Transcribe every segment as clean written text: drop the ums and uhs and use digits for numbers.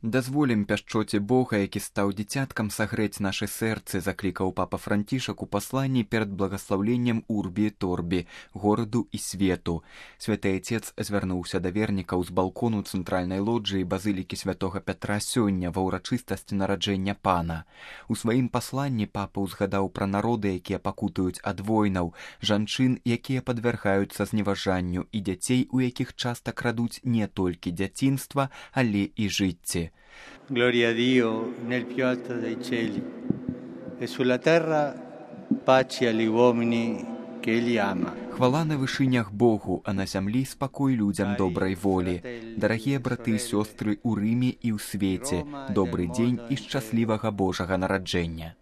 Дазволім пяшчоце Бога, які стаў дзіцяткам, сагрэць нашы сэрцы, заклікаў папа Францішак у пасланні перад благаслаўленнем Урбі Торбі, гораду і свету. Святы Отец звярнуўся да вернікаў з балкону цэнтральнай лоджыі базылікі святога Пятра сёння ва ўрачыстасці нараджэння Пана. У сваім пасланні папа ўзгадаў пра народы, якія пакутаюць ад войнаў, жанчын, якія падвяргаюцца зневажанню, і дзяцей, у якіх часта крадуць не толькі дзяцінства, але і жыцці. Gloria a Dio nel più alto dei cieli e sulla terra pace agli uomini che Egli ama. Хвала на вышынях Богу, а на зямлі спакой людзям добрай волі. Дарагія браты і сёстры ў Рыме і ў свеце, добры дзень і шчаслівага Божага нараджэння.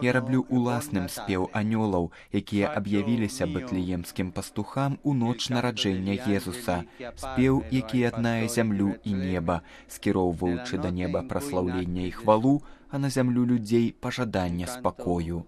Я раблю уласным спеў анёлаў, якія аб'явіліся бэтлеемскім пастухам у ноч нараджэння Езуса. Спеў, які яднае зямлю і неба, скіроўваючы да неба праслаўлення і хвалу, а на зямлю людзей пажаданне спакою.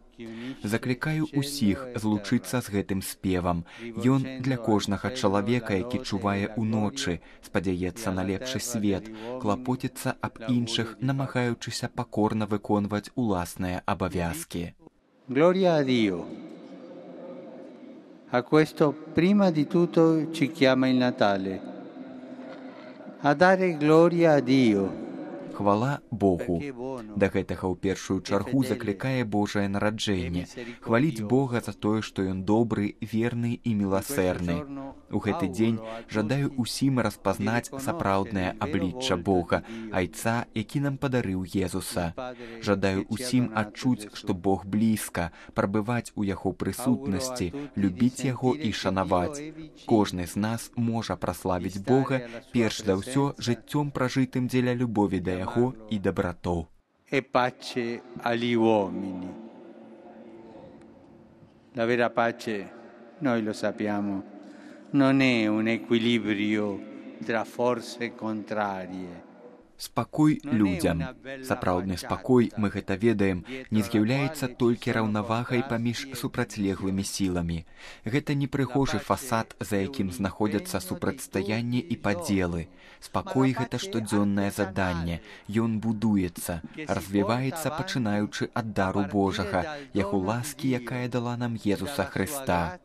Заклікаю усіх злучыцца з гэтым спевам. Ён для кожнага чалавека, які чувае ўночы, спадзяецца на лепшы свет, клапоціцца аб іншых, намагаючыся пакорна выконваць уласныя абавязкі. Gloria a Dio. A questo prima di tutto ci chiama il Natale. A dare gloria a Dio. Хвала Богу. Да гэтага ў першую чаргу заклікае Божае нараджэнне. Хваліць Бога за тое, што Ён добры, верны і міласэрны. У гэты дзень жадаю усім распазнаць сапраўднае аблічча Бога, Айца, які нам падарыў Езуса. Жадаю усім адчуць, што Бог блізка, прабываць у Яго прысутнасці, любіць Яго і шанаваць. Кожны з нас можа праславіць Бога, перш за ўсё, жыццём пражытым дзеля любові да Яго і доброту. E pace agli uomini. La vera pace, noi lo sappiamo, non è un equilibrio tra forze contrarie. Спакой людзям. Сапраўдны спакой, мы гэта ведаем, не з'яўляецца толькі раўнавагай паміж супрацьлеглымі сіламі. Гэта не прыгожы фасад, за якім знаходзяцца супрацьстаянне і падзелы. Спакой — гэта штодзённае заданне. Ён будуецца, развіваецца, пачынаючы ад дару Божага, яго ласкі, якая дала нам Езуса Хрыста.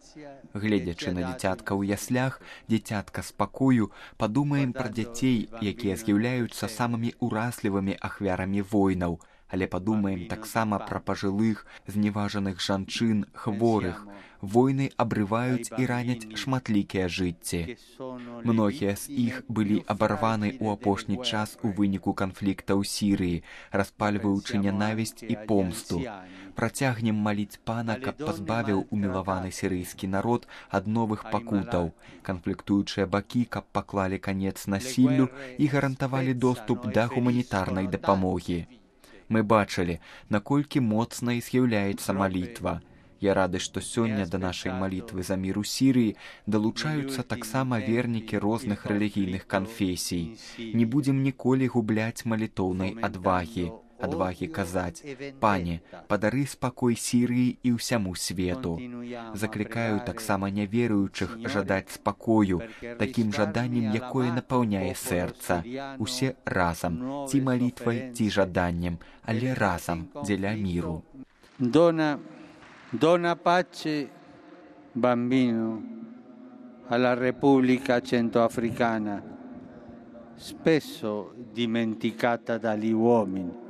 Гледзячы на дзіцятка ў яслях, дзіцятка спакою, падумаем пра дзяцей, якія з'яўляюцца самымі уразлівымі ахвярамі войнаў, але падумаем таксама пра пажылых, зневажаных жанчын, хворых. Войны абрываюць і раняць шматлікія жыцці. Многія з іх былі абарваны ў апошні час у выніку канфлікта ў Сірыі, распальваючы нянавісць і помсту. Працягнем маліць Пана, каб пазбавіў умілаваны сірыйскі народ ад новых пакутаў. Канфліктуючыя бакі, каб паклалі канец насіллю і гарантавалі доступ да гуманітарнай дапамогі. Мы бачылі, наколькі моцнай з'яўляецца малітва. Я рады, што сёння да нашай малітвы за мір у Сірыі далучаюцца таксама вернікі розных рэлігійных канфесій. Не будзем ніколі губляць малітоўнай адвагі. Адвагі казаць: «Пане, падары спакой Сірыі і ўсяму свету». Заклікаю таксама няверуючых жадаць спакою, такім жаданнем, якое напаўняе сэрца. Усе разам, ці малітвай, ці жаданнем, але разам дзеля міру. Dona pace, bambino, alla Repubblica Centroafricana, spesso dimenticata dagli uomini.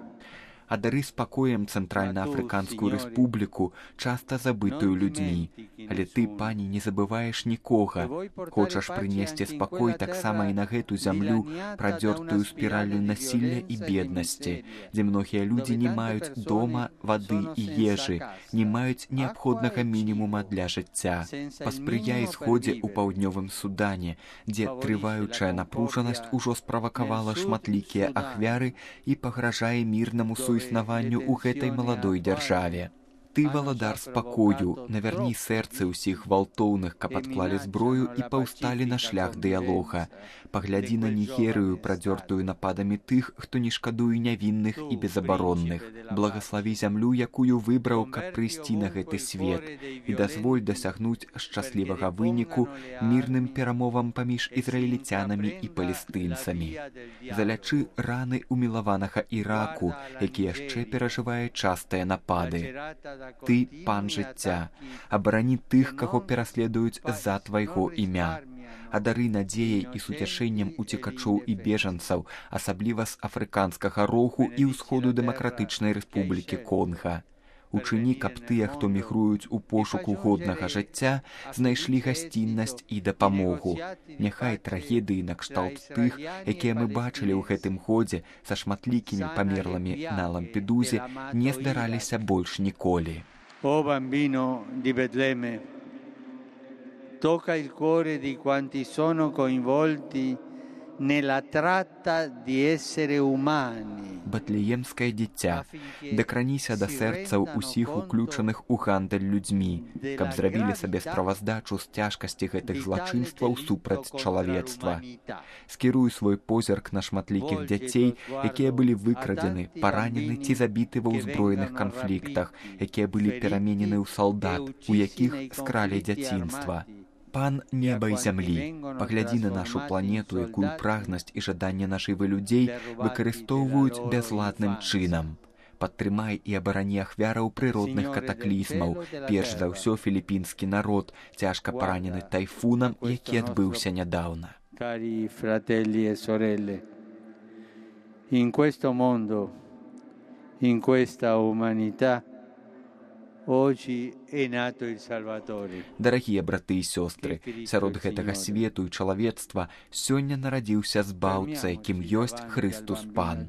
А дары спакоем Цэнтральна-Афрыканскую рэспубліку, часта забытую людзьмі. Але ты, Пане, не забываеш нікога. Хочаш прынесці спакой таксама і на гэту зямлю, прадзёртую спіралю насілля і беднасці, дзе многія людзі не маюць дома, вады і ежы, не маюць неабходнага мінімума для жыцця. Паспрыяй згодзе ў паўднёвым Судане, дзе трываючая напружанасць ужо справакавала шматлікія ахвяры і пагражае мірнаму існаванню ў гэтай маладой дзяржаве. Ты, валадар спакою, навярні сэрцы ўсіх гвалтоўных, каб адклалі зброю і паўсталі на шлях дыялога. Паглядзі на Нігерыю, прадзёртую нападамі тых, хто не шкадуе нявінных і безабаронных. Благаславі зямлю, якую выбраў, каб прыйсці на гэты свет, і дазволь дасягнуць шчаслівага выніку мірным перамовам паміж ізраільцянамі і палестынцамі. Залячы раны умілаванага Іраку, які яшчэ перажывае частыя напады. Ты, пан жыцця, абарані тых, каго пераследуюць за твайго імя. Адары надзеяй і суцяшэннем уцекачоў і бежанцаў, асабліва з афрыканскага рогу і ўсходу Дэмакратычнай Рэспублікі Конга. Учыні, каб тыя, хто мігруюць у пошуку годнага жыцця, знайшлі гасціннасць і дапамогу. Няхай трагедыі накшталт тых, якія мы бачылі ў гэтым годзе са шматлікімі памерлымі на Лампедузе, не здараліся больш ніколі. О bambino di Betlemme, tocca il cuore di quanti sono coinvolti nella tratta di esseri umani. Батлеемскае дзіця, дакраніся да сэрцаў усіх уключаных у гандаль людзьмі, каб зрабілі сабе справаздачу з цяжкасці гэтых злачынстваў супраць чалавецтва. Скіруй свой позірк на шматлікіх дзяцей, якія былі выкрадзены, паранены ці забіты ва ўзброеных канфліктах, якія былі пераменены ў салдат, у якіх скралі дзяцінства. Пан неба і зямлі, паглядзі на нашу планету, якую прагнасць і жаданне нашай людзей выкарыстоўваюць бязладным чынам. Падтрымай і абарані ахвяраў прыродных катаклізмаў, перш за ўсё філіпінскі народ, цяжка паранены тайфунам, які адбыўся нядаўна. Cari fratelli e sorelle, in questo mondo, in questa umanità, oggi è nato il Salvatore. Дарагія браты і сёстры, сярод гэтага свету і чалавецтва сёння нарадзіўся збаўца, якім ёсць Хрыстус Пан.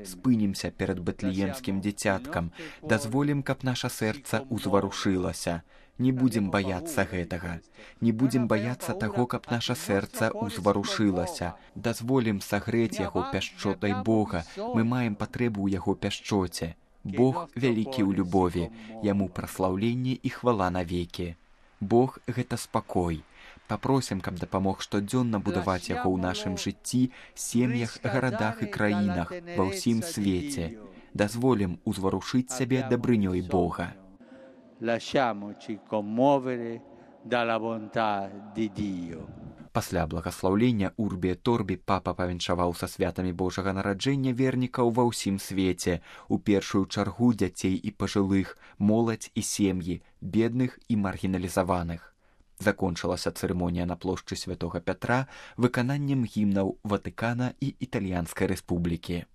Спынімся перад бэтлеемскім дзіцяткам, дазволім, каб наша сэрца ўзварушылася. Не будзем баяцца гэтага. Не будзем баяцца таго, каб наша сэрца ўзварушылася. Дазволім сагрэць яго пяшчотай Бога. Мы маем патрэбу ў яго пяшчоце. Бог вялікі ў любові, яму праслаўленне і хвала навекі. Бог — гэта спакой. Папросім, каб дапамог штодзённа будаваць яго ў нашым жыцці, сем'ях, гарадах і краінах, ва ўсім свеце. Дазволім узварушыць сябе дабрынёй Бога. Lasciamoci commuovere dalla bontà di Dio. Пасля благаслаўлення Урбі Торбі папа павіншаваў са святамі Божага нараджэння вернікаў ва ўсім свеце, у першую чаргу дзяцей і пажылых, моладзь і сем'і, бедных і маргіналізаваных. Закончылася цырымонія на плошчы Святога Пятра выкананнем гімнаў Ватыкана і Італьянскай Рэспублікі.